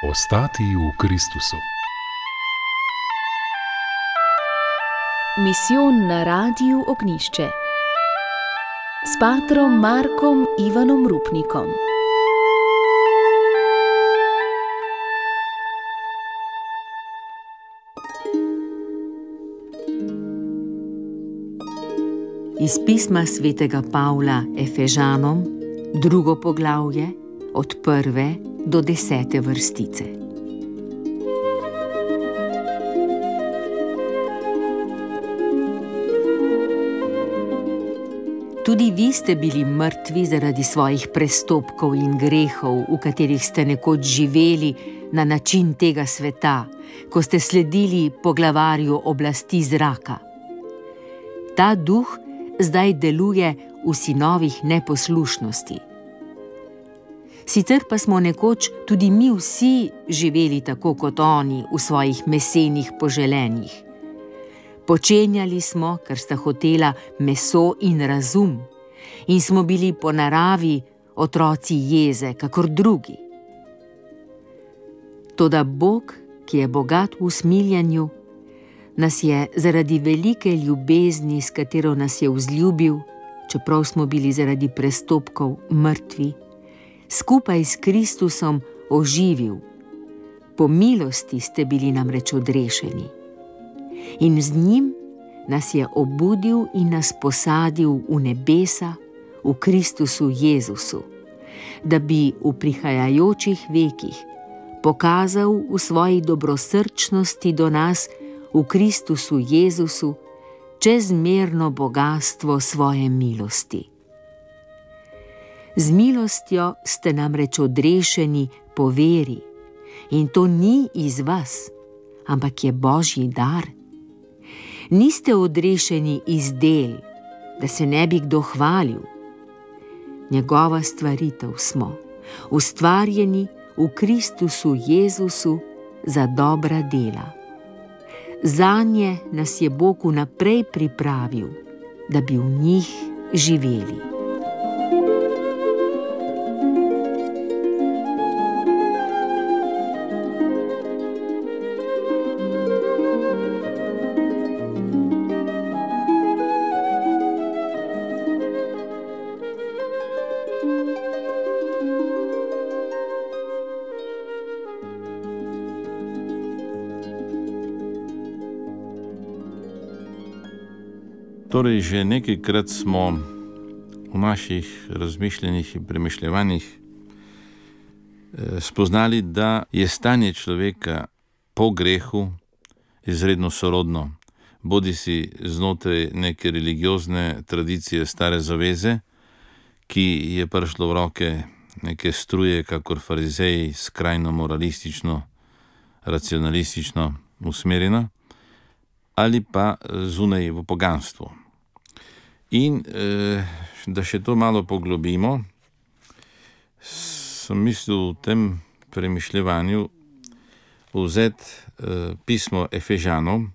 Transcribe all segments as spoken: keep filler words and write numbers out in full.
Ostati v Kristusu. Misijon na Radiu Ognjišče s patrom Markom Ivanom Rupnikom. Iz pisma svetega Pavla Efežanom, drugo poglavje, od prve do desete vrstice. Tudi vi ste bili mrtvi zaradi svojih prestopkov in grehov, v katerih ste nekoč živeli na način tega sveta, ko ste sledili poglavarju oblasti zraka. Ta duh zdaj deluje v sinovih neposlušnosti. Sicer pa smo nekoč tudi mi vsi živeli tako kot oni v svojih mesenih poželenjih. Počenjali smo, kar sta hotela meso in razum, in smo bili po naravi otroci jeze, kakor drugi. Toda Bog, ki je bogat v usmiljanju, nas je zaradi velike ljubezni, s katero nas je vzljubil, čeprav smo bili zaradi prestopkov mrtvi, skupaj s Kristusom oživil. Po milosti ste bili namreč odrešeni. In z njim nas je obudil in nas posadil v nebesa, v Kristusu Jezusu, da bi v prihajajočih vekih pokazal v svoji dobrosrčnosti do nas v Kristusu Jezusu čezmerno bogastvo svoje milosti. Z milostjo ste namreč odrešeni po veri, in to ni iz vas, ampak je Božji dar. Niste odrešeni iz del, da se ne bi kdo hvalil. Njegova stvaritev smo, ustvarjeni v Kristusu Jezusu za dobra dela. Zanje nas je Bog vnaprej pripravil, da bi v njih živeli. Torej, že nekajkrat smo v naših razmišljanjih in premišljevanjih spoznali, da je stanje človeka po grehu izredno sorodno, bodisi znotraj neke religiozne tradicije stare zaveze, ki je prišlo v roke neke struje, kakor farizeji, skrajno moralistično, racionalistično usmerjeno, ali pa zunaj v poganstvu. In eh, da še to malo poglobimo, sem mislil v tem premišljevanju vzeti eh, pismo Efežanom,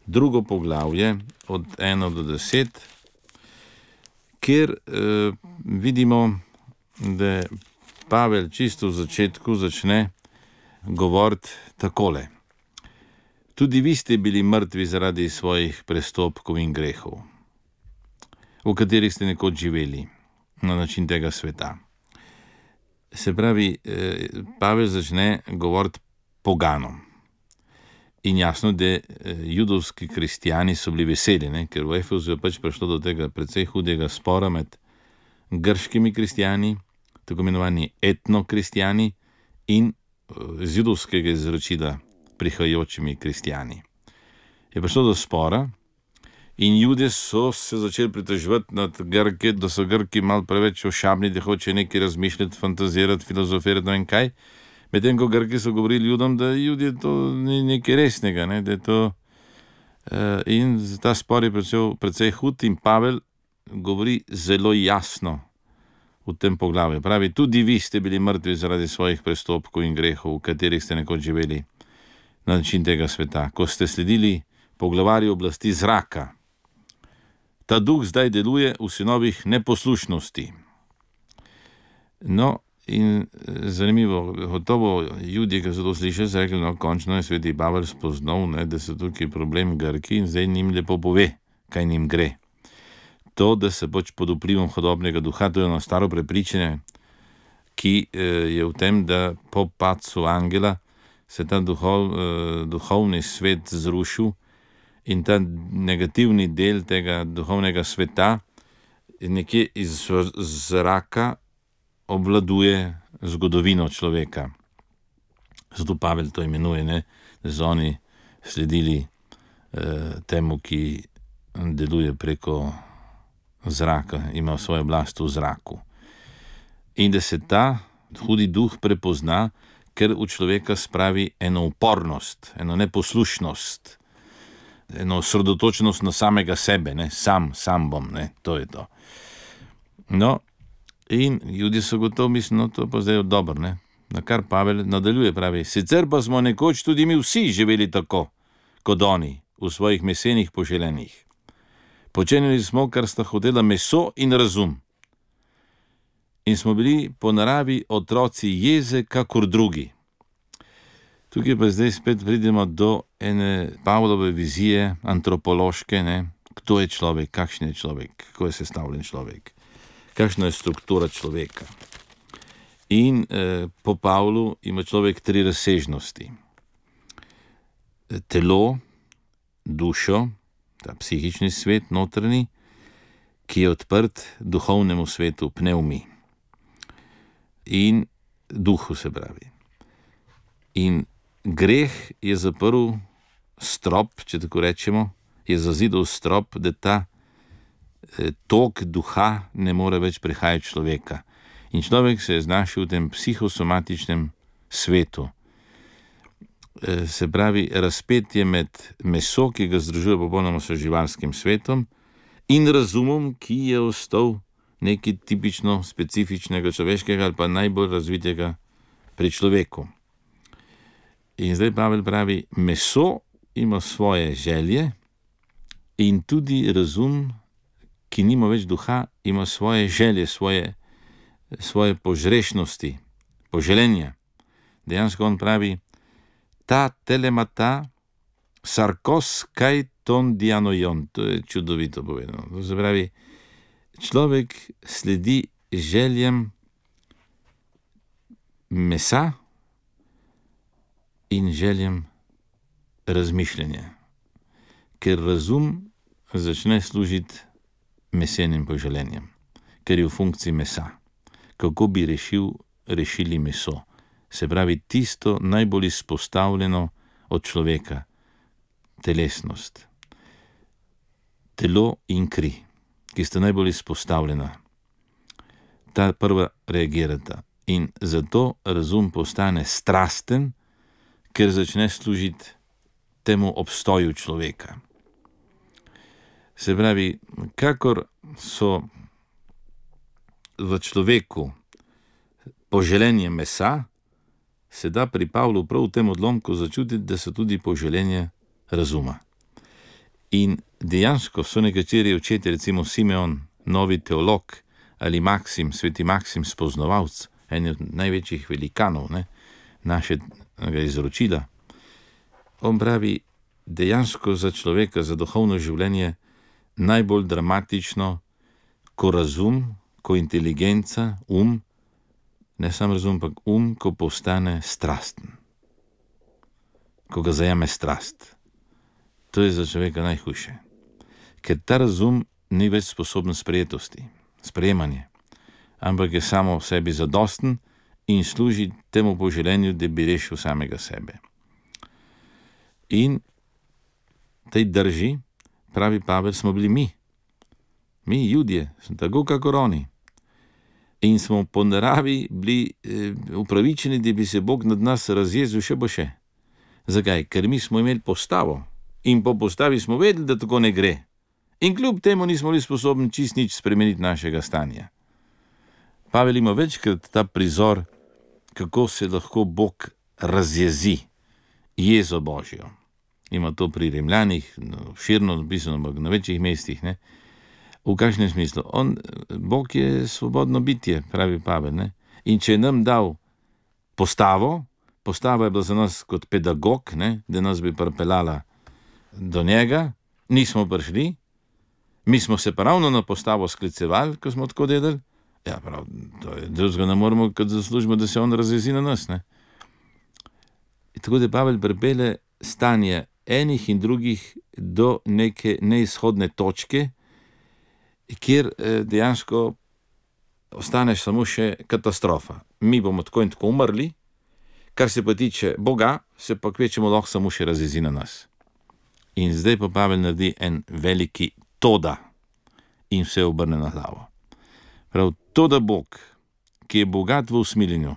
drugo poglavje od ena do deset, kjer eh, vidimo, da Pavel čisto v začetku začne govoriti takole. Tudi vi ste bili mrtvi zaradi svojih prestopkov in grehov, v katerih ste nekoč živeli na način tega sveta. Se pravi, Pavel začne govoriti poganom. In jasno, da judovski kristijani so bili veseli, ne? Ker v Efezu je pač prišlo do tega precej hudega spora med grškimi kristijani, tako imenovani etnokristijani, in z judovskega izročila prihajajočimi kristijani. Je prišlo do spora in Judje so se začeli pritoževati nad Grke, da so Grki malo preveč ošabni, da hoče nekaj razmišljati, fantazirati, filozofirati, no in kaj. Medtem ko Grki so govorili Judom, da Judje to ni nekaj resnega, ne, da je to uh, in ta spor je precej, precej hud in Pavel govori zelo jasno v tem poglavju. Pravi, tudi vi ste bili mrtvi zaradi svojih prestopkov in grehov, v katerih ste nekoč živeli na način tega sveta, ko ste sledili poglavarju oblasti zraka. Ta duh zdaj deluje v sinovih neposlušnosti. No, In zanimivo, gotovo ljudje, ki so to slišali, so rekli, no, končno je sveti Pavel spoznal, ne, da so tukaj problem Grki in zdaj njim lepo pove, kaj njim gre. To, da se pač pod vplivom hudobnega duha, to je eno staro prepričanje, ki je v tem, da po padcu angela se ta duhov, duhovni svet zrušil in ta negativni del tega duhovnega sveta nekje iz zraka obvladuje zgodovino človeka. Zato Pavel to imenuje, ne, da so oni sledili eh, temu, ki deluje preko zraka, ima svojo oblast v zraku. In da se ta hudi duh prepozna, ker v človeka spravi eno upornost, eno neposlušnost, eno osredotočenost na samega sebe, ne, sam, sam bom, ne, to je to. No, in ljudje so gotovo mislili, no, to pa zdaj je dobro, ne. Na kar Pavel nadaljuje, pravi, sicer pa smo nekoč tudi mi vsi živeli tako, kot oni, v svojih mesenih poželenjih. Počenjali smo, kar sta hotela meso in razum. In smo bili po naravi otroci jeze, kakor drugi. Tukaj pa zdaj spet pridemo do ene Pavlove vizije, antropološke, ne, kdo je človek, kakšen je človek, kako je sestavljen človek. Kakšna je struktura človeka. In eh, po Pavlu ima človek tri razsežnosti. Telo, dušo, ta psihični svet, notranji, ki je odprt duhovnemu svetu, pnevmi. In duhu se pravi. In greh je zaprl strop, če tako rečemo, je zazidal strop, da ta tok duha ne more več prihajati človeka. In človek se je znašel v tem psihosomatičnem svetu. Se pravi, razpet je med meso, ki ga združuje popolnoma s živalskim svetom, in razumom, ki je ostal nekaj tipično specifičnega človeškega ali pa najbolj razvitega pri človeku. In zdaj Pavel pravi, meso ima svoje želje in tudi razum, ki nima več duha, ima svoje želje, svoje, svoje požrešnosti, poželenja. Dejansko on pravi, ta telemata sarkos kaj ton dianojon. To je čudovito povedano. To se pravi, človek sledi željem mesa in željem razmišljanja. Ker razum začne služiti mesenim poželenjem, ker je v funkciji mesa. Kako bi rešil, rešili meso? Se pravi, tisto najbolj izpostavljeno od človeka, telesnost. Telo in kri, ki sta najbolj izpostavljena. Ta prva reagirata. In zato razum postane strasten, ker začne služiti temu obstoju človeka. Se pravi, kakor so v človeku poželenje mesa, se da pri Pavlu prav v tem odlomku začutiti, da so tudi poželenje razuma. In dejansko so nekateri očetje, recimo Simeon, novi teolog, ali Maksim, sveti Maksim, spoznavalc, en od največjih velikanov, ne, našega izročila. On pravi, dejansko za človeka, za duhovno življenje, najbolj dramatično, ko razum, ko inteligenca, um, ne samo razum, ampak um, ko postane strasten. Ko ga zajame strast. To je za človeka najhujše. Ker ta razum ni več sposoben sprejetosti, sprejemanje, ampak je samo v sebi zadosten in služi temu poželenju, da bi rešil samega sebe. In tej drži, pravi Pavel, smo bili mi. Mi, Judje, smo tako kakor oni. In smo po naravi bili eh, upravičeni, da bi se Bog nad nas razjezil še bo še. Zakaj? Ker mi smo imeli postavo in po postavi smo vedeli, da tako ne gre. In kljub temu nismo bili sposobni čist nič spremeniti našega stanja. Pavel ima večkrat ta prizor, kako se lahko Bog razjezi, jezo Božjo. Ima to pri Rimljanih, no, širno napisano, ampak na večjih mestih, ne. V kakšnem smislu? On, Bog je svobodno bitje, pravi Pavel, ne. In če je nam dal postavo, postava je bila za nas kot pedagog, ne, da nas bi pripeljala do njega, nismo prišli, mi smo se pravno na postavo sklicevali, ko smo tako delali, ja, prav, to je drugega ne moramo, kot zaslužimo, da se on razjezi na nas, ne. In tako da Pavel pripelje stanje enih in drugih do neke neizhodne točke, kjer dejansko ostaneš samo še katastrofa. Mi bomo tako in tako umrli, kar se pa tiče Boga, se pa kvečemo lahko samo še razjezi na nas. In zdaj pa Pavel naredi en veliki toda in vse obrne na glavo. Prav to, da Bog, ki je bogat v usmiljenju,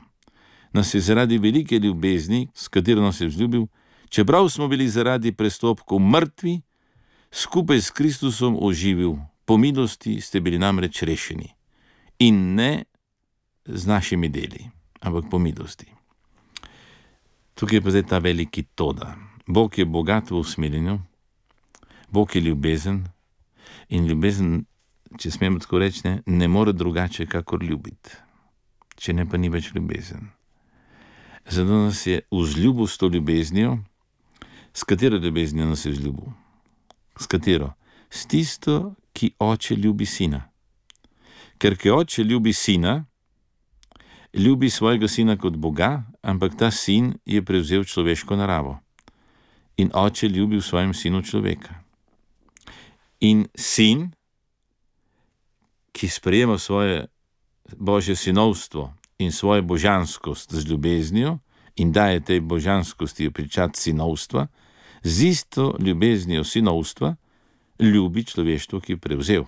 nas je zaradi velike ljubezni, s katero nas je vzljubil, čeprav smo bili zaradi prestopkov mrtvi, skupaj s Kristusom oživil, po milosti ste bili namreč rešeni. In ne z našimi deli, ampak po milosti. Tukaj je pa zdaj ta veliki toda. Bog je bogat v usmiljenju, Bog je ljubezen in ljubezen, če smemo tako reči, ne, ne more drugače, kakor ljubiti. Če ne, pa ni več ljubezen. Zato nas je vzljubil s to ljubeznijo. S katero ljubeznijo nas je vzljubil? S katero? S tisto, ki oče ljubi sina. Ker ki oče ljubi sina, ljubi svojega sina kot Boga, ampak ta sin je prevzel človeško naravo. In oče ljubi v svojem sinu človeka. In sin, ki sprejema svoje božje sinovstvo in svojo božanskost z ljubeznijo in daje tej božanskosti pričat sinovstva, z isto ljubeznijo sinovstva ljubi človeštvo, ki je prevzel.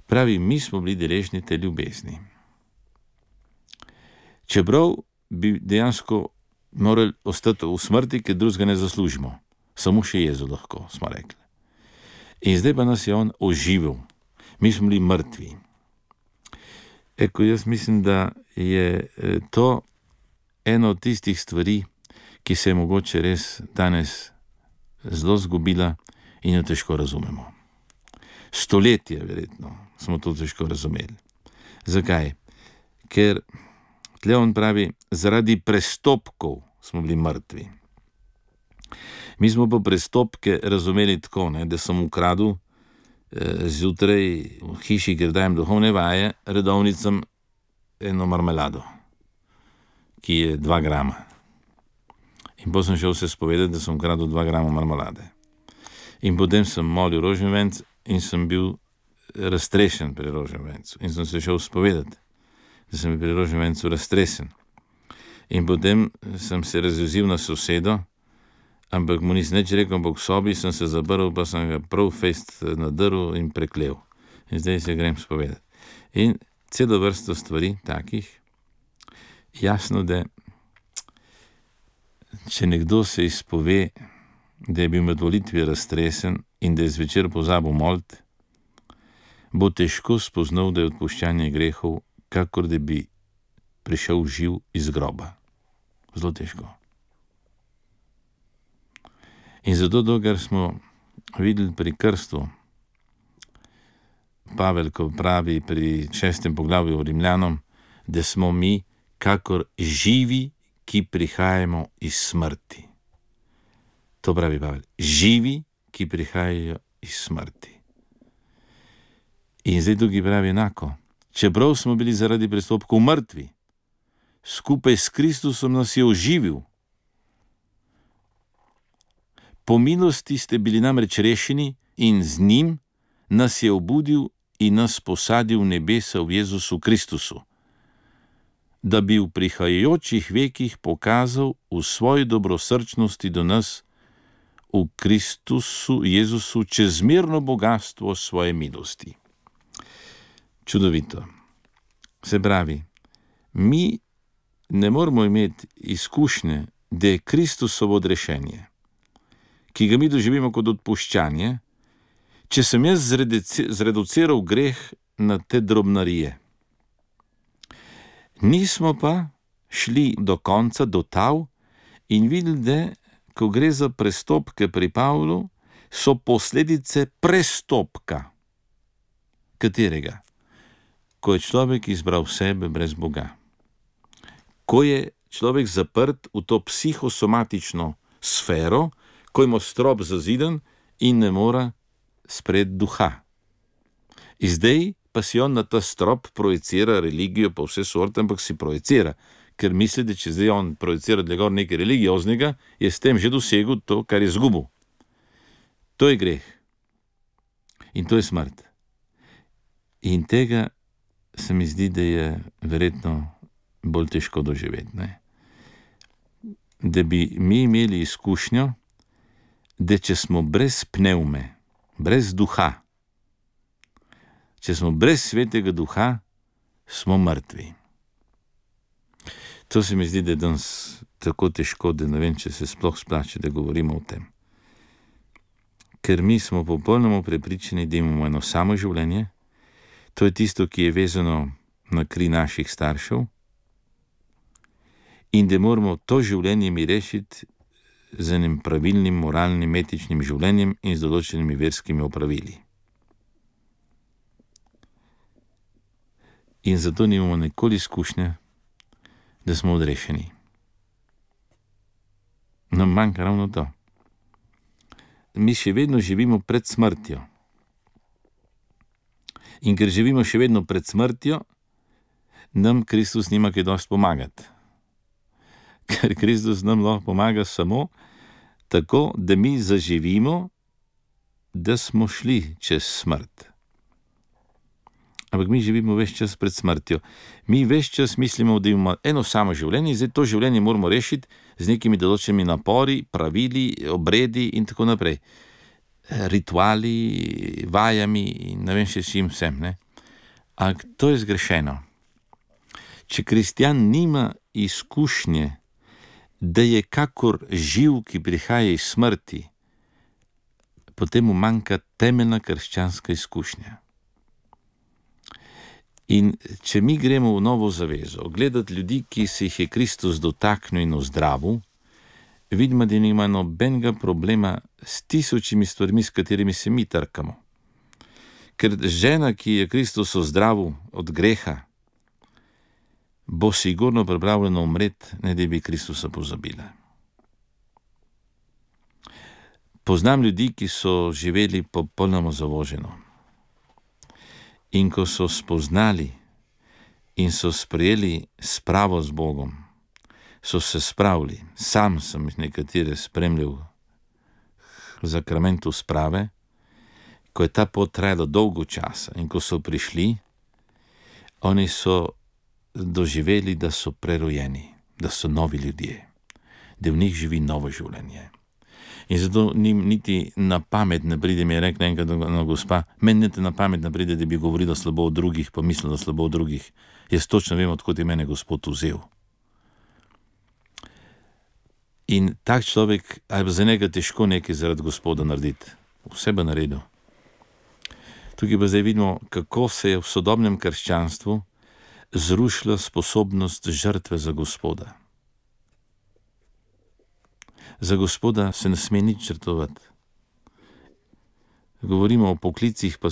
Pravi, mi smo bili deležni te ljubezni. Čeprav bi dejansko morali ostati v smrti, ker drugega ne zaslužimo. Samo še Jezu lahko, smo rekli. In zdaj pa nas je on oživil. Mi smo bili mrtvi. Eko, jaz mislim, da je to eno od tistih stvari, ki se je mogoče res danes zelo zgubila in jo težko razumemo. Stoletje, verjetno, smo to težko razumeli. Zakaj? Ker tle on pravi, zaradi prestopkov smo bili mrtvi. Mi smo pa prestopke razumeli tako, ne, da sem ukradel eh, zjutraj v hiši, ker dajem duhovne vaje, redovnicam eno marmelado, ki je dva grama. In potem sem šel se spovedati, da sem ukradel dva grama marmelade. In potem sem molil rožnjevenc in sem bil raztrešen pri rožnjevencu. In sem se šel spovedati, da sem bil pri rožnjevencu raztresen. In potem sem se razjezil na sosedo, ampak mu nisem nič rekel, ampak v sobi sem se zabrl, pa sem ga prav fejst nadrl in preklel. In zdaj se grem spovedati. In celo vrsto stvari takih, jasno, da če nekdo se izpove, da je bil med molitvi raztresen in da je zvečer pozabil moliti, bo težko spoznal, da je odpuščanje grehov, kakor da bi prišel živ iz groba. Zelo težko. In zato, dokler smo videli pri krstu, Pavel, ko pravi pri šestem poglavju Rimljanom, da smo mi kakor živi, ki prihajamo iz smrti. To pravi Pavel. Živi, ki prihajajo iz smrti. In zdaj tukaj pravi enako. Čeprav smo bili zaradi prestopkov mrtvi, skupaj s Kristusom nas je oživil. Po milosti ste bili namreč rešeni in z njim nas je obudil in nas posadil v nebesa v Jezusu Kristusu, da bi v prihajajočih vekih pokazal v svoji dobrosrčnosti do nas v Kristusu Jezusu čezmerno bogatstvo svoje milosti. Čudovito. Se pravi, mi ne moramo imeti izkušnje, da je Kristusovo odrešenje, ki ga mi doživimo kot odpuščanje, če sem jaz zreduciral greh na te drobnarije. Nismo pa šli do konca, do tav in videli, da ko gre za prestopke pri Pavlu, so posledice prestopka. Katerega? ko je človek izbral sebe brez Boga. Ko je človek zaprt v to psihosomatično sfero, ko ima strop zaziden in ne more sprejeti duha. In zdaj pa si on na ta strop projicira religijo pa vse sorte, ampak si projicira, ker misli, da če zdaj on projicira gor nekaj religioznega, je s tem že dosegel to, kar je izgubil. To je greh. In to je smrt. In tega se mi zdi, da je verjetno bolj težko doživeti. Ne? Da bi mi imeli izkušnjo, da če smo brez pnevme, brez duha, če smo brez svetega duha, smo mrtvi. To se mi zdi, da je danes tako težko, da ne vem, če se sploh splače, da govorimo o tem. Ker mi smo popolnoma prepričani, da imamo eno samo življenje, to je tisto, ki je vezano na kri naših staršev, in da moramo to življenje mi rešiti z enim pravilnim, moralnim, etičnim življenjem in z določenimi verskimi opravili. In zato nimamo nikoli izkušnje, da smo odrešeni. Nam manjka ravno to. Mi še vedno živimo pred smrtjo. In ker živimo še vedno pred smrtjo, nam Kristus nima kaj dosti pomagati. Ker Kristus nam lahko pomaga samo tako, da mi zaživimo, da smo šli čez smrt. Ampak mi živimo ves čas pred smrtjo. Mi ves čas mislimo, da imamo eno samo življenje in zdaj to življenje moramo rešiti z nekimi določenimi napori, pravili, obredi in tako naprej. Rituali, vajami in ne vem še s čim vsem. Ne? Ampak to je zgrešeno. Če kristjan nima izkušnje, da je kakor živ, ki prihaja iz smrti, potem mu manjka temeljna krščanska izkušnja. In če mi gremo v novo zavezo, gledati ljudi, ki se jih je Kristus dotaknil in ozdravil, vidimo, da nima nobenega problema s tisočimi stvarmi, s katerimi se mi trkamo. Ker žena, ki je Kristus ozdravil od greha, bo sigurno pripravljena umreti, ne da bi Kristusa pozabila. Poznam ljudi, ki so živeli popolnoma zavoženo. In ko so spoznali in so sprejeli spravo z Bogom, so se spravili. Sam sem nekatere spremljal v zakramentu sprave, ko je ta pot trajala dolgo časa in ko so prišli, oni so doživeli, da so prerojeni, da so novi ljudje, da v njih živi novo življenje. In zato njim niti na pamet ne pride, mi je rekla enkrat na gospa, meni niti na pamet ne pride, da bi govorila slabo o drugih, pa mislila slabo o drugih. Jaz točno vem, odkot je mene Gospod vzel. In tak človek, ali za njega težko nekaj zaradi Gospoda narediti. Vse bo naredil. Tukaj pa zdaj vidimo, kako se je v sodobnem krščanstvu zrušila sposobnost žrtve za Gospoda. Za Gospoda se ne sme nič žrtvovati. Govorimo o poklicih, pa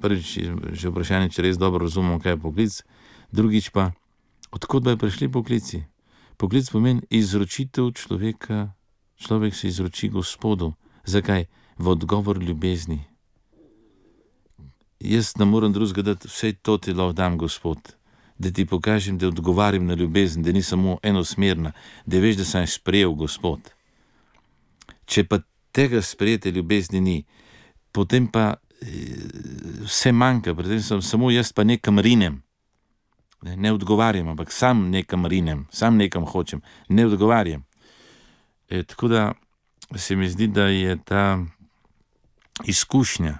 prvič že vprašanje, če res dobro razumemo, kaj je poklic, drugič pa, odkot bi prišli poklici? Poklic pomeni izročitev človeka, človek se izroči Gospodu. Zakaj? V odgovor ljubezni. Jaz ne moram drugega dati, vse to ti lahko dam, Gospod, da ti pokažem, da odgovarjam na ljubezen, da ni samo enosmerna, da veš, da sem sprejel, Gospod. Če pa tega sprejete ljubezni ni, potem pa vse manjka, predtem sem samo jaz pa nekam rinem. Ne, ne odgovarjam, ampak sam nekam rinem, sam nekam hočem, ne odgovarjam. E, tako da se mi zdi, da je ta izkušnja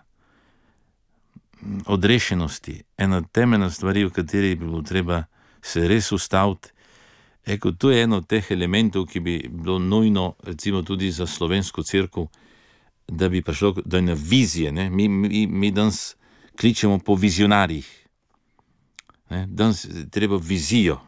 odrešenosti ena temeljna stvari, v kateri bi bilo treba se res ustaviti. Eko, to je eno od teh elementov, ki bi bilo nujno, recimo tudi za slovensko cerkev, da bi prišlo do ene vizije. Ne? Mi, mi, mi danes kličemo po vizionarjih. Ne? Danes treba vizijo.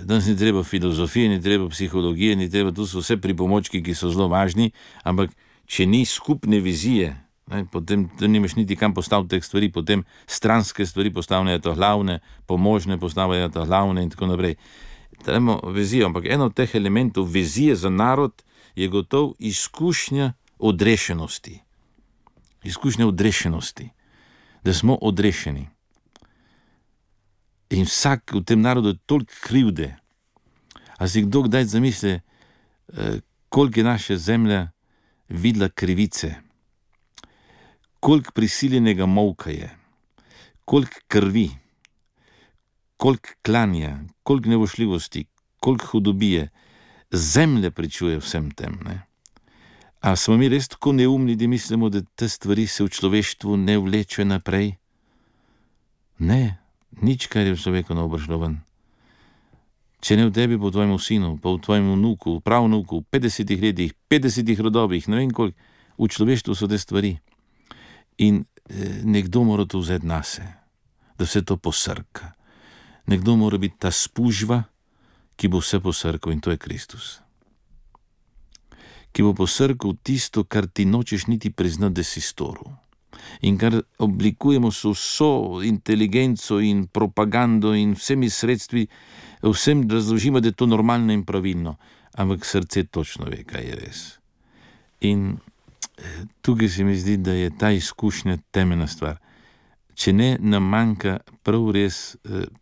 Danes ni treba filozofije, ni treba psihologije, ni treba, to so vse pripomočki, ki so zelo važni, ampak če ni skupne vizije, Ne, potem nimaš niti kam postaviti teh stvari, potem stranske stvari postavljajo to glavne, pomožne postavljajo to glavne in tako naprej. Trebamo vizijo, ampak eno od teh elementov vizije za narod je gotov izkušnja odrešenosti. Izkušnja odrešenosti, da smo odrešeni. In vsak v tem narodu je toliko krivde. A si kdo kdaj zamisli, koliko je naša zemlja videla krivice, koliko prisiljenega molka je, koliko krvi, koliko klanja, koliko nevošljivosti, koliko hudobije, zemlja pričuje vsem tem, ne? A smo mi res tako neumni, da mislimo, da te stvari se v človeštvu ne vlečejo naprej? Ne, nič, kar je v človeku ne obršlo ven. Če ne v tebi, po tvojemu sinu, pa v tvojem vnuku, pravnuku, v petdesetih letih, petdesetih rodovih, ne vem koliko, v človeštvu so te stvari. In eh, nekdo mora to vzeti nase, da se to posrka. Nekdo mora biti ta spužva, ki bo vse posrkal, in to je Kristus. Ki bo posrkal tisto, kar ti nočeš niti priznati, da si storil. In kar oblikujemo s vso inteligenco in propagando in vsemi sredstvi, vsem razložimo, da je to normalno in pravilno, ampak srce točno ve, kaj je res. In tukaj se mi zdi, da je ta izkušnja temeljna stvar. Če ne, nam manjka prav res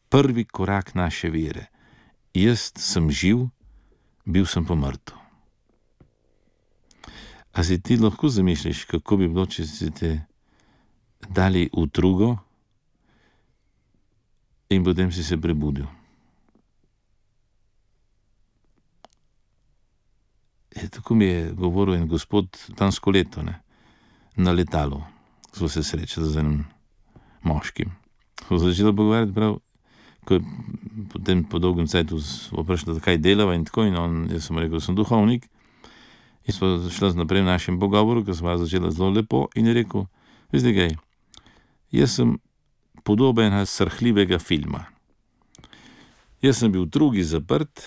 prvi korak naše vere. Jaz sem živ, bil sem pa mrtev. A si ti lahko zamišljaš, kako bi bilo, če si te dali v trugo in potem si se prebudil? E, tako mi je govoril en gospod lansko leto, ne, na letalu. Smo se srečali z enim moškim. Smo začeli pogovarjati prav, ko je potem po dolgem cajtu vprašal, kaj delava in tako, in on, jaz sem rekel, sem duhovnik. In smo šli naprej v našem pogovoru, ko smo začeli zelo lepo, in je rekel, veste kaj, jaz sem podoba enega srhljivega filma. Jaz sem bil v trugi zaprt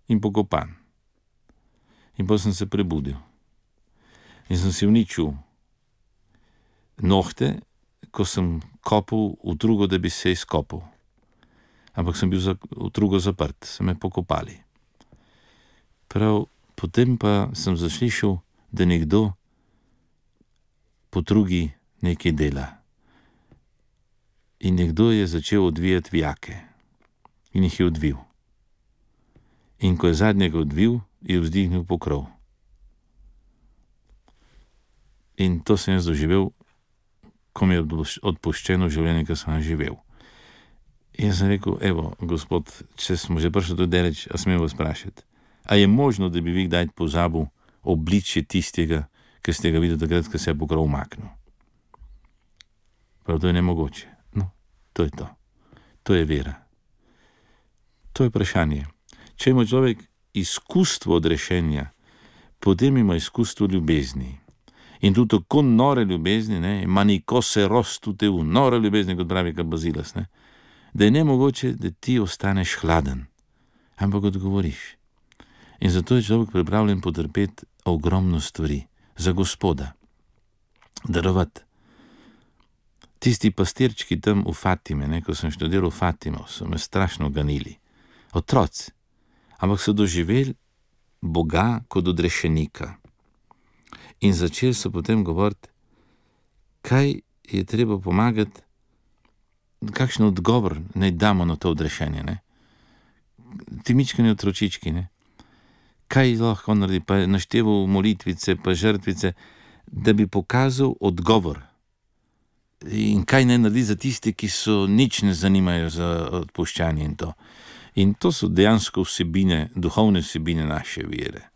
in pokopan. In potem sem se prebudil. In sem si uničil nohte, ko sem kopal v trugo, da bi se izkopal. Ampak sem bil v trugo zaprt, so me pokopali. Prav potem pa sem zaslišal, da nekdo po trugi nekaj dela. In nekdo je začel odvijati vijake. In jih je odvil. In ko je zadnjega odvil, je vzdignil pokrov. In to sem jaz doživel, ko mi je odpuščeno življenje, ki sem živel. In sem rekel, evo, gospod, če smo že prišli do daleč, a smem vas vprašati, a je možno, da bi vi kdaj pozabil obličje tistega, ki ste ga videli takrat, ko se je pokrov umaknil? Prav, to je nemogoče. No, to je to. To je vera. To je vprašanje. Če ima človek izkustvo odrešenja, potem ima izkustvo ljubezni. In tudi tako nore ljubezni, ne, maniko se rostute v nore ljubezni, kot pravi Kabazilas, ne, da je nemogoče, da ti ostaneš hladen, ampak odgovoriš. In zato je človek pripravljen potrpeti ogromno stvari za Gospoda. Darovati. Tisti pastirčki tam v Fatime, ne, ko sem študiral v Fatimo, so me strašno ganili. Otroci. Ampak so doživeli Boga kot odrešenika. In začeli so potem govoriti, kaj je treba pomagati, kakšen odgovor naj damo na to odrešenje, ne. Ti mičkani otročički, ne. Kaj lahko naredi, pa je našteval molitvice, pa žrtvice, da bi pokazal odgovor. In kaj naj naredi za tiste, ki so nič ne zanimajo za odpuščanje in to. In to so dejansko vsebine, duhovne vsebine naše vere.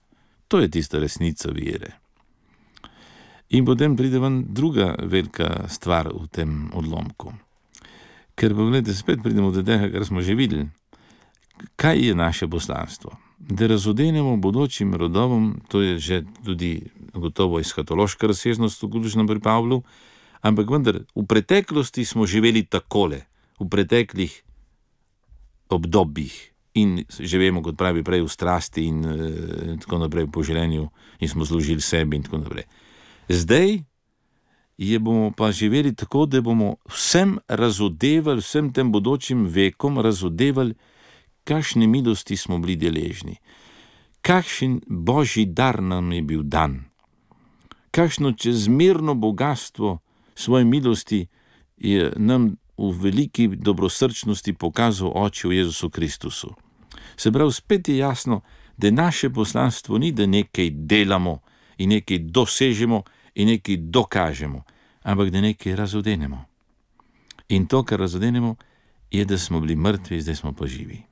To je tista resnica vere. In potem pride ven druga velika stvar v tem odlomku. Ker pa gledajte, spet pridemo do tega, kar smo že videli. Kaj je naše poslanstvo? Da razodenemo bodočim rodovom, to je že tudi gotovo eskatološka razsežnost, vključno pri Pavlu, ampak vendar v preteklosti smo živeli takole, v preteklih obdobjih in živemo, kot pravi prej, v strasti in e, tako naprej po življenju in smo služili sebi in tako naprej. Zdaj je bomo pa živeli tako, da bomo vsem razodevali, vsem tem bodočim vekom razodevali, kakšne milosti smo bili deležni, kakšen božji dar nam je bil dan, kakšno čezmerno bogatstvo svoje milosti je nam v veliki dobrosrčnosti pokazal Oče v Jezusu Kristusu. Se pravi, spet je jasno, da naše poslanstvo ni, da nekaj delamo in nekaj dosežemo in nekaj dokažemo, ampak da nekaj razodenemo. In to, kar razodenemo, je, da smo bili mrtvi, zdaj smo pa živi.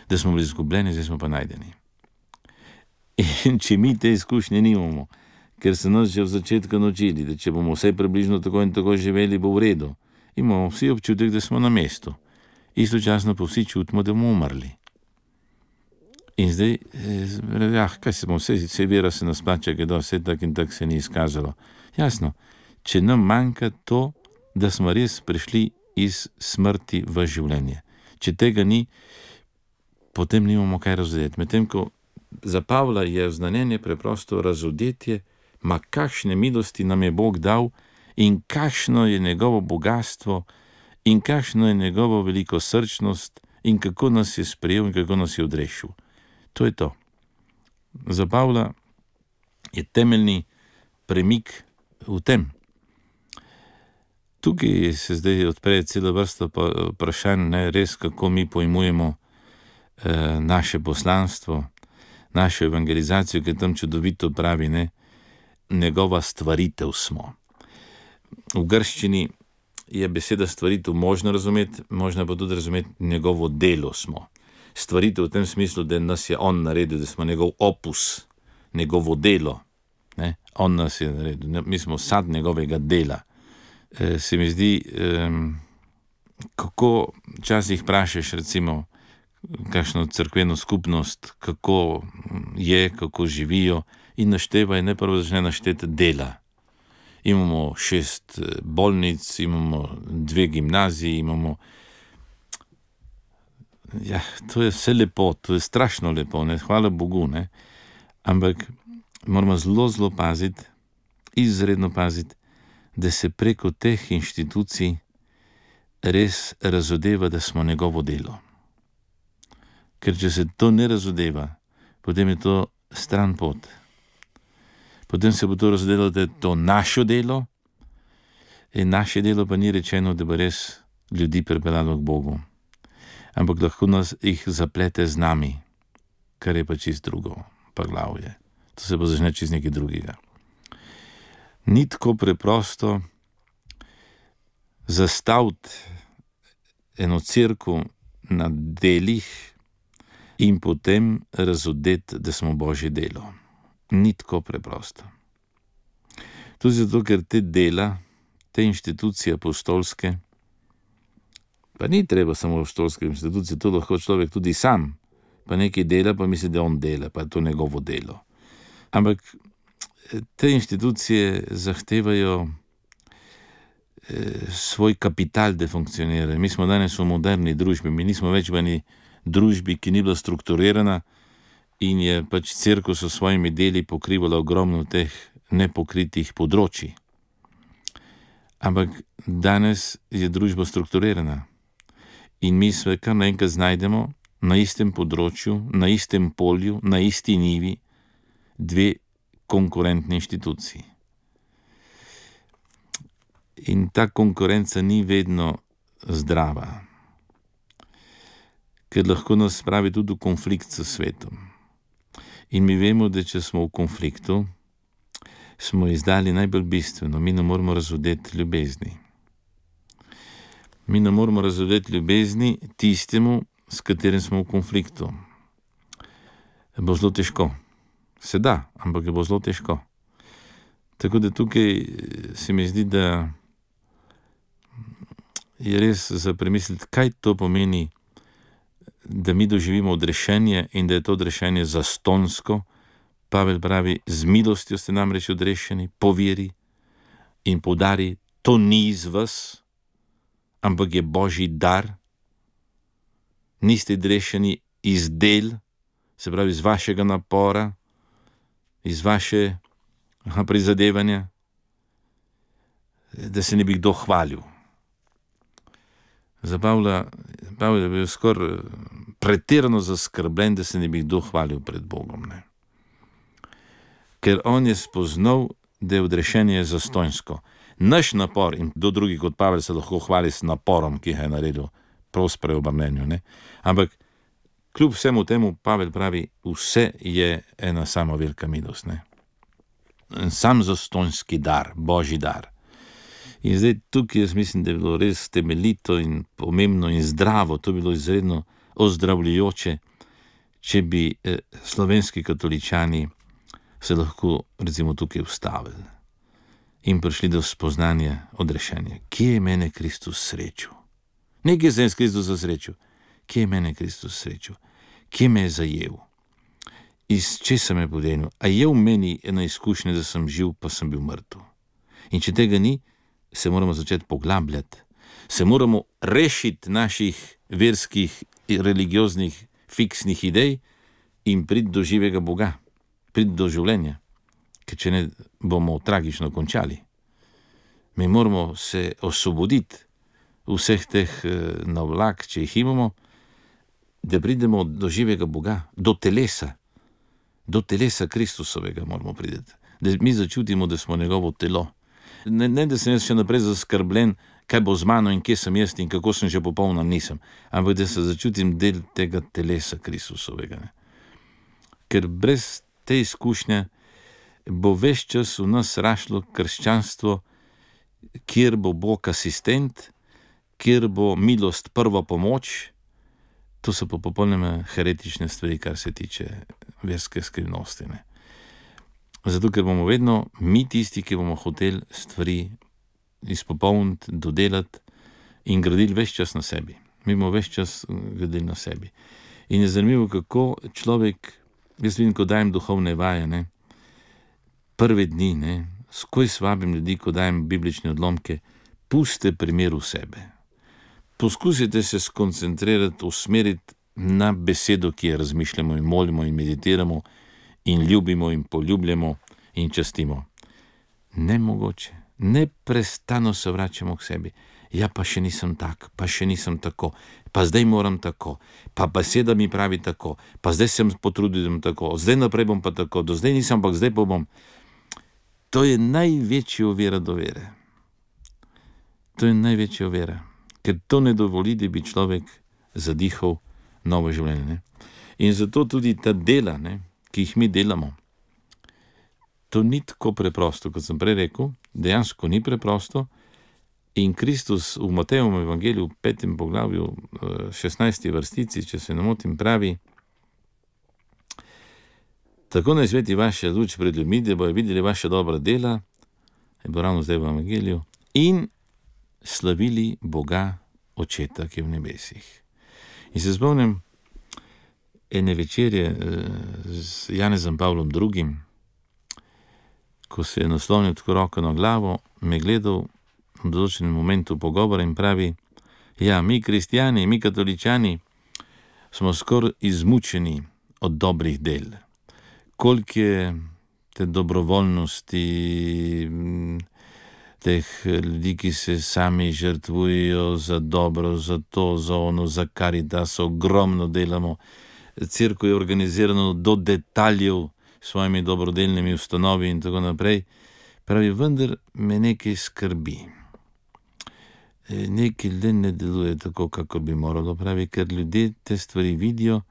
Da smo bili izgubljeni, zdaj smo pa najdeni. In če mi te izkušnje nimamo, ker so nas že v začetku naučili, da če bomo vse približno tako in tako živeli, bo v redu, imamo vsi občutek, da smo na mestu. Istočasno pa vsi čutimo, da bomo umrli. In zdaj, ja, kaj se bomo, vse, vse vera se nas plača, da vse tak in tak se ni izkazalo. Jasno, če nam manjka to, da smo res prišli iz smrti v življenje. Če tega ni, potem nimamo kaj razodeti. Medtem ko za Pavla je znanjenje preprosto razodetje, ma kakšne milosti nam je Bog dal in kakšno je njegovo bogatstvo in kakšno je njegovo veliko srčnost in kako nas je sprejel in kako nas je odrešil. To je to. Za Pavla je temeljni premik v tem. Tukaj se zdaj odpre cela vrsta vprašanj, ne, res kako mi pojmujemo eh, naše poslanstvo, našo evangelizacijo, ki tam čudovito pravi, ne, njegova stvaritev smo. V grščini je beseda stvaritev možno razumeti, možno pa tudi razumeti njegovo delo smo. Stvaritev v tem smislu, da nas je on naredil, da smo njegov opus, njegovo delo. Ne? On nas je naredil, mi smo sad njegovega dela. E, se mi zdi, e, kako včasih vprašaš recimo kakšno cerkveno skupnost, kako je, kako živijo in naštevajo, ne prvo začne našteti dela. Imamo šest bolnic, imamo dve gimnaziji, imamo... Ja, to je vse lepo, to je strašno lepo, ne, hvala Bogu, ne, ampak moramo zelo, zelo paziti, izredno paziti, da se preko teh inštitucij res razodeva, da smo njegovo delo. Ker če se to ne razodeva, potem je to stran pot. Potem se bo to razodelo, da je to naše delo in naše delo pa ni rečeno, da bo res ljudi pripeljalo k Bogu. Ampak lahko nas jih zaplete z nami, kar je pa čist drugo, pa glavje. To se bo začne čist nekaj drugega. Ni tako preprosto zastaviti eno cerkev na delih in potem razodeti, da smo Božje delo. Ni tako preprosto. Tudi zato, ker te dela, te inštitucije apostolske, pa ni treba samo apostolske inštitucije, to lahko človek tudi sam, pa nekaj dela, pa misli, da on dela, pa je to njegovo delo. Ampak te inštitucije zahtevajo eh, svoj kapital, da funkcionira. Mi smo danes v moderni družbi, mi nismo več v eni družbi, ki ni bila strukturirana in je pač cerkev s svojimi deli pokrivala ogromno teh nepokritih področji. Ampak danes je družba strukturirana in mi se kar naenkrat znajdemo na istem področju, na istem polju, na isti nivi dve konkurentni inštituciji. In ta konkurenca ni vedno zdrava, ker lahko nas spravi tudi v konflikt s svetom. In mi vemo, da če smo v konfliktu, smo izdali najbolj bistveno, mi ne moramo razodeti ljubezni. Mi ne moramo razodeti ljubezni tistemu, s katerim smo v konfliktu. Bo zelo težko. Se da, ampak je bo zelo težko. Tako da tukaj se mi zdi, da je res za premisliti, kaj to pomeni, da mi doživimo odrešenje in da je to odrešenje zastonsko. Pavel pravi, z milostjo ste namreč odrešeni, po veri, in poudari, to ni iz vas, ampak je Božji dar. Niste odrešeni iz del, se pravi iz vašega napora, iz vaše aha, prizadevanja, da se ne bi kdo hvalil. Za Pavla, Pavel je bil skoraj pretirano zaskrbljen, da se ne bi kdo hvalil pred Bogom. Ne? Ker on je spoznal, da je odrešenje zastonjsko. Naš napor, in kdo drugi kot Pavel se lahko hvali s naporom, ki ga je naredil, prav s preobrnenju. Ne? Ampak kljub vsemu temu Pavel pravi, vse je ena sama velika milost. Ne? Sam zastonjski dar, božji dar. In zdaj tukaj jaz mislim, da je bilo res temeljito in pomembno in zdravo, to je bilo izredno ozdravljujoče, če bi eh, slovenski katoličani se lahko recimo tukaj ustavili in prišli do spoznanja odrešenja. Kje je mene Kristus srečil? Ne kje se je Kristus zasrečil, kje je mene Kristus srečil, kje me je zajel, iz česa me je podenil, a je v meni ena izkušnja, da sem živ, pa sem bil mrtev. In če tega ni, se moramo začeti poglabljati, se moramo rešiti naših verskih, religioznih, fiksnih idej in priti do živega Boga, priti do življenja, ker če ne, bomo tragično končali. Mi moramo se osvoboditi vseh teh navlak, če jih imamo, da pridemo do živega Boga, do telesa, do telesa Kristusovega moramo priti, da mi začutimo, da smo njegovo telo. Ne, ne, da sem jaz še naprej zaskrbljen, kaj bo z mano in kje sem jaz in kako sem že popolna, nisem. Ampak da se začutim del tega telesa Kristusovega. Ne. Ker brez te izkušnje bo ves čas v nas rašlo krščanstvo, kjer bo Bog asistent, kjer bo milost prva pomoč. To so pa popolnoma heretične stvari, kar se tiče verske skrivnosti. Ne. Zato, ker bomo vedno mi tisti, ki bomo hoteli stvari izpopolniti, dodelati in gradili ves čas na sebi. Mi bomo ves čas gradili na sebi. In je zanimivo, kako človek, jaz vidim, ko dajem duhovne vaje, ne, prve dni, ne, skoj svabim ljudi, ko dajem biblične odlomke, puste primer v sebe. Poskusite se skoncentrirati, usmeriti na besedo, ki jo razmišljamo in molimo in meditiramo, in ljubimo in poljubljamo in častimo. Nemogoče, neprestano se vračamo k sebi. Ja, pa še nisem tak, pa še nisem tako, pa zdaj moram tako, pa beseda mi pravi tako, pa zdaj sem potrudil, da bom tako, zdaj naprej bom pa tako, do zdaj nisem, ampak zdaj pa bom. To je največja ovira do vere. To je največja ovira, ker to ne dovoli, da bi človek zadihal novo življenje. Ne? In zato tudi ta dela, ne, ki jih mi delamo, to ni tako preprosto, kot sem prej rekel, dejansko ni preprosto. In Kristus v Matejevem evangeliju v petem poglavju, šestnajsti vrstici, če se ne motim, pravi: tako naj sveti vaša luč pred ljudmi, da bojo videli vaša dobra dela, je bo ravno zdaj v evangeliju, in slavili Boga Očeta, ki je v nebesih. In se spomnim ene večerje z Janezom Pavlom drugim, ko se je naslonil tako roko na glavo, me gledal v določenem momentu pogovora in pravi: ja, mi kristjani, mi katoličani smo skoraj izmučeni od dobrih del. Koliko je te dobrovoljnosti, teh ljudi, ki se sami žrtvujejo za dobro, za to, za ono, za karitas, ogromno delamo. Cerkev je organizirano do detaljev s svojimi dobrodelnimi ustanovi in tako naprej. Pravi, vendar me nekaj skrbi. Nekaj le ne deluje tako, kako bi moralo, pravi, ker ljudje te stvari vidijo,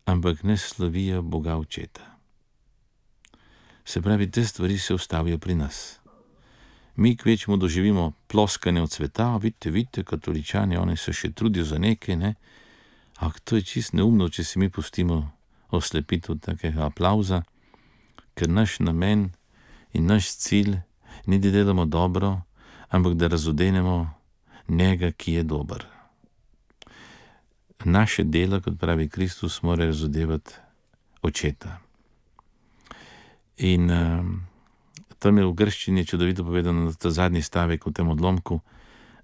ampak ne slavijo Boga Očeta. Se pravi, te stvari se ustavijo pri nas. Mi kvečemo doživimo ploskanje od sveta, vidite, vidite, katoličani, oni se še trudijo za nekaj, ne? Ampak to je čist neumno, če si mi pustimo oslepiti od takega aplauza, ker naš namen in naš cilj ni, da delamo dobro, ampak da razodenemo njega, ki je dober. Naše delo, kot pravi Kristus, mora razodevati Očeta. In uh, tam je v grščini čudovito povedano ta zadnji stavek v tem odlomku: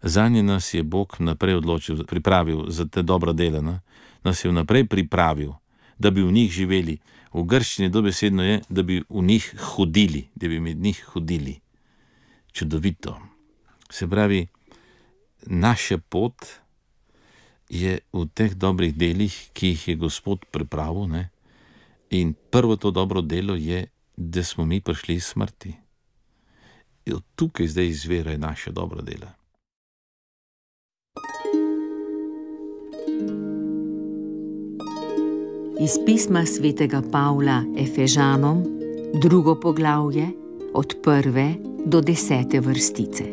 zanje nas je Bog naprej odločil, pripravil za te dobra dela, ne? Nas je vnaprej pripravil, da bi v njih živeli. V grščini dobesedno je, da bi v njih hodili, da bi med njih hodili. Čudovito. Se pravi, naša pot je v teh dobrih delih, ki jih je Gospod pripravil, ne? In prvo to dobro delo je, da smo mi prišli iz smrti. In tukaj zdaj izvirajo naše dobra dela. Iz pisma svetega Pavla Efežanom, drugo poglavje, od prve do desete vrstice.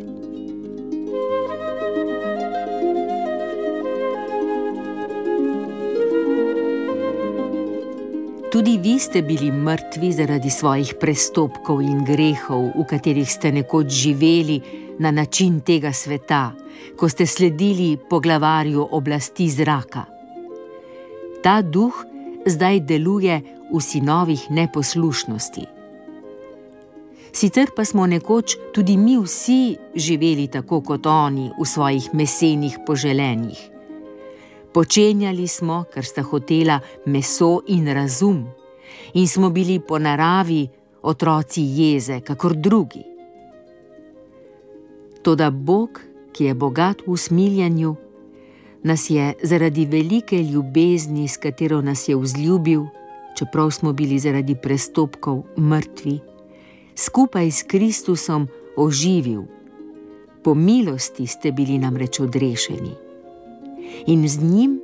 Tudi vi ste bili mrtvi zaradi svojih prestopkov in grehov, v katerih ste nekoč živeli na način tega sveta, ko ste sledili poglavarju oblasti zraka. Ta duh zdaj deluje v sinovih neposlušnosti. Sicer pa smo nekoč tudi mi vsi živeli tako kot oni v svojih mesenih poželenjih. Počenjali smo, kar sta hotela meso in razum, in smo bili po naravi otroci jeze, kakor drugi. Toda Bog, ki je bogat v usmiljanju, nas je zaradi velike ljubezni, s katero nas je vzljubil, čeprav smo bili zaradi prestopkov mrtvi, skupaj s Kristusom oživil. Po milosti ste bili namreč odrešeni. In z njim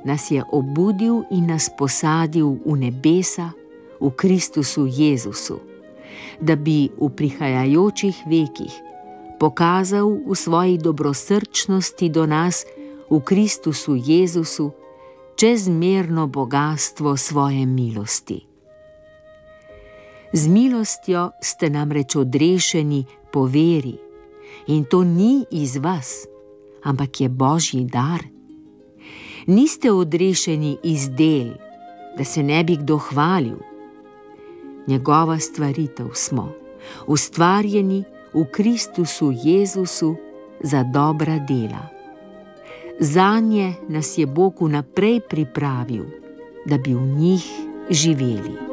nas je obudil in nas posadil v nebesa, v Kristusu Jezusu, da bi v prihajajočih vekih pokazal v svoji dobrosrčnosti do nas v Kristusu Jezusu čezmerno bogastvo svoje milosti. Z milostjo ste namreč odrešeni po veri, in to ni iz vas, ampak je Božji dar. Niste odrešeni iz del, da se ne bi kdo hvalil. Njegova stvaritev smo, ustvarjeni v Kristusu Jezusu za dobra dela. Zanje nas je Bog vnaprej pripravil, da bi v njih živeli.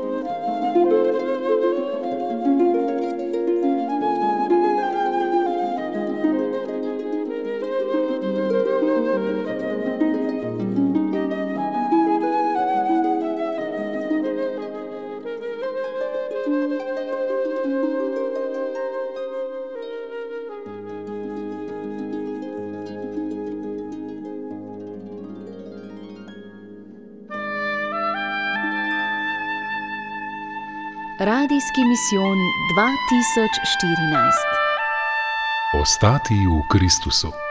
Radijski misijon dva tisoč štirinajst. Ostati v Kristusu.